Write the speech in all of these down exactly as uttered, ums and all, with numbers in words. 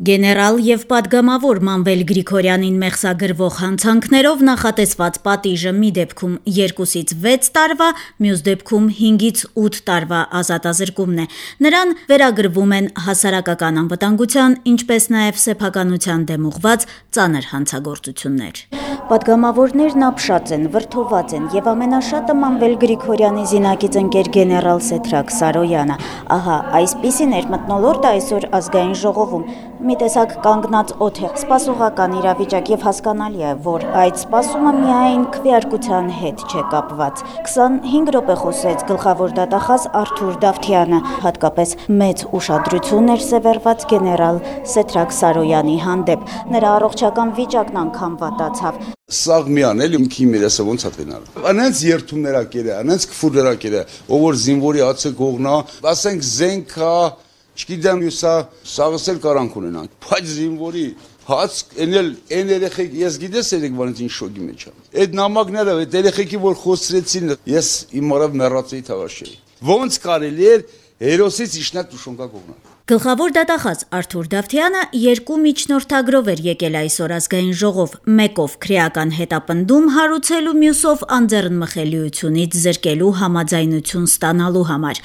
Գեներալ եւ պատգամավոր Մանվել Գրիգորյանին մեղսագրվող հանցանքներով նախատեսված պատիժը մի դեպքում երկուսից վեց տարվա, մյուս դեպքում հինգից ութ տարվա ազատազրկումն է։ Նրան վերագրվում են հասարակական անվտանգության, ինչպես նաեւ սեփականության դեմ ուղղված ծանր հանցագործություններ։ Պատգամավորներն ապշած են, վրդոված են եւ ամենաշատը Մանվել Գրիգորյանի զինակից ընկեր գեներալ Սեդրակ Սարոյանը։ Ահա այսպիսին էր մթնոլորտը այսօր ազգային ժողովում։ Մի տեսակ կանգնած օդ է, սպասողական իրավիճակ եւ հասկանալի է, որ այդ սպասումը միայն քվեարկության հետ չէ կապված։ քսանհինգ րոպե խոսեց գլխավոր դատախազ Արթուր Դավթյանը, հատկապես մեծ ուշադրություն էր սևեռված գեներալ Սեդրակ Սարոյանի հանդեպ։ Նրա առողջական վիճակն անգամ վատացավ։ Սաղ միան էլի ումքի մերեսը ոնց է տենալ։ Անենց երթումներա կերը, անենց քֆուրներա կերը, ով որ զինվորի ացը կողնա, ասենք զենքա Չգիտեմ ուսա սաղսել կարանք ունենանք, բայց զինվորի հաց էնել են երեխեք, ես գիտես երեք բանից ինչ շոկի մեջ եմ։ Այդ նամակները, այդ երեխեքի որ խոսրեցին, ես իմ արավ մեռածեի թավաշեի։ Ոնց կարելի էր հերոսից իշխնատ ուշոնկա կողնալ։ Գլխավոր դատախազ Արթուր Դավթյանը երկու միջնորդագրով էր եկել այսօր ազգային ժողով, մեկով քրեական հետապնդում հարուցելու, մյուսով անձեռնմխելիությունից զրկելու համաձայնություն ստանալու համար։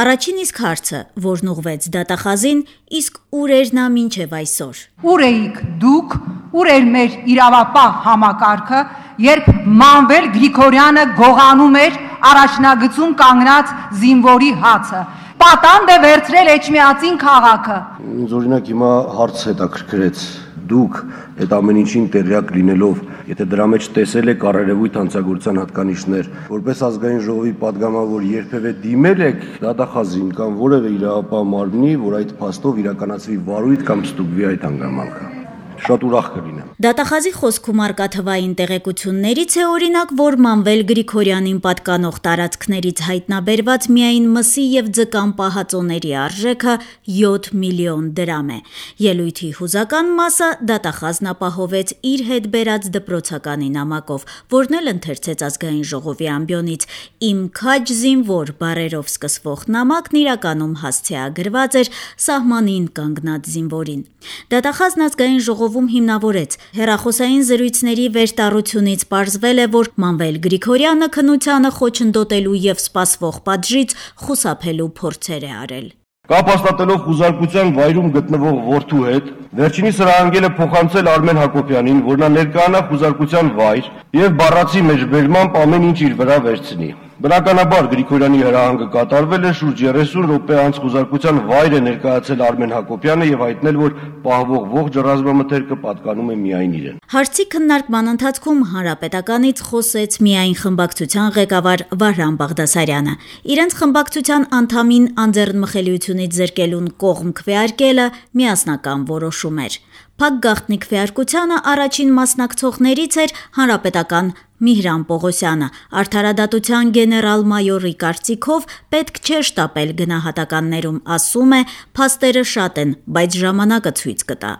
Առաջին իսկ հարցը, որն ուղղվեց դատախազին, իսկ ուր էր նա մինչև այսօր։ Ուր էիք դուք, ուր էր մեր իրավապահ համակարգը, երբ Մանվել Գրիգորյանը գողանում էր առաջնագծում կանգնած զինվորի հացը։ Պատանդ է վերցրել Էջմիածին քաղաքը։ Ինձ օրինակ հիմա հարց հետաքրքրեց, դուք այդ ամեն ինչին տեղյակ լինելով, եթե դրա մեջ տեսել եք առերևույթ հանցագործության հատկանիշներ, որպես ազգային ժողովի պատգամավոր երբևէ դիմել եք դատախազին կամ որևէ իրավապահ մարմնի, որ այդ փաստով իրականացվի վարույթ կամ ստուգվի այդ հանգամանքը։ Շատ ուրախ կլինեմ։ Դատախազի խոսքում արկա թվային տեղեկություններից է օրինակ, որ Մանվել Գրիգորյանին պատկանող տարածքներից հայտնաբերված միայն մսի եւ ձկան պահածոների արժեքը յոթ միլիոն դրամ է։ Ելույթի հուզական մասը դատախազն ապահովեց իր հետ բերած դպրոցականի նամակով, որն էլ ընթերցեց ազգային ժողովի ամբիոնից։ Իմ քաջ զինվոր բառերով սկսվող նամակն իրականում հասցեագրված էր սահմանին կանգնած զինվորին։ Դատախազն ազգային ժողովում հիմնավորեց։ Հեռախոսային զրույցների վերտառությունից պարզվել է, որ Մանվել Գրիգորյանը քննությանը խոչընդոտելու եւ սպասվող պատժից խուսափելու փորձեր է արել։ Կապ հաստատելով խուզարկության վայրում գտնվող որդու հետ, վերջինիս հրահանգել է փոխանցել Արմեն Հակոբյանին, որ նա ներկայանա խուզարկության վայր եւ բառացի մեջբերմամբ ամեն ինչ իր վրա վերցնի։ Բնականաբար Գրիգորյանի հրահանգը կատարվել է, շուրջ երեսուն րոպե անց խուզարկության վայր է ներկայացել Արմեն Հակոբյանը եւ հայտնել, որ պահվող ողջ ռազմամթերքը պատկանում է միայն իրեն։ Հարցի քննարկման ընթացքում Հանրապետականից խոսեց միայն խմբակցության ղեկավար Վահրամ Բաղդասարյանը։ Իրենց խմբակցության անդամին անձեռնմխելիությունից զրկելուն կողմ քվեարկելը միասնական որոշում էր։ Փակ գաղտնի քվեարկությանը առաջին մասնակցողներից էր հանրապետական Միհրան Պողոսյանը։ Արդարադատության գեներալ-մայորի կարծիքով պետք չէ շտապել գնահատականներում, ասում է, փաստերը շատ են, բայց ժամանակը ցույց կտա։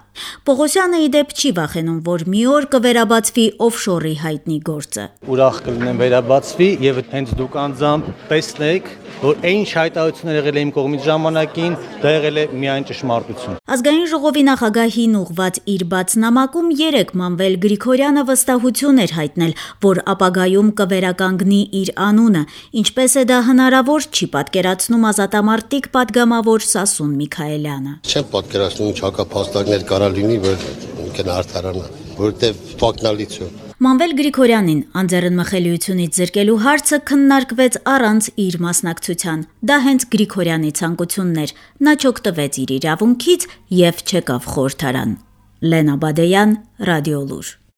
Պողոսյանը ի դեպ չի վախենում, որ մի օր կվերաբացվի օֆշորի հայտնի գործը։ Ուրախ կլինեմ վերաբացվի եւ հենց դուք անձամբ տեսնեք, որ այն հայտարարությունները եղել է իմ կողմից ժամանակին, դա եղել է միայն ճշմարտություն։ Ազգային ժողովի նախագահին ուղված իր բաց նամակում երեք Մանվել Գրիգորյանը վստահություն էր հայտնել, որ ապագայում կվերականգնի իր անունը, ինչպես է դա հնարավոր, չի պատկերացնում ազատամարտիկ պատգամավոր Սասուն Միքայելյանը։ Չեմ պատկերացնում ինչ հակափաստարկներ կարա լինի, որ ինքն արդարանա, որտեղ ֆակնալից է։ Մանվել Գրիգորյանին անձեռնմխելիությունից զրկելու հարցը քննարկվեց առանց իր մասնակցության։ Դա հենց Գրիգորյանի ցանկությունն էր։ Նա չօգտվեց իր իրավունքից եւ չեկավ խորհրդարան։ Լենա Բադեյան, Ռադիոլուր։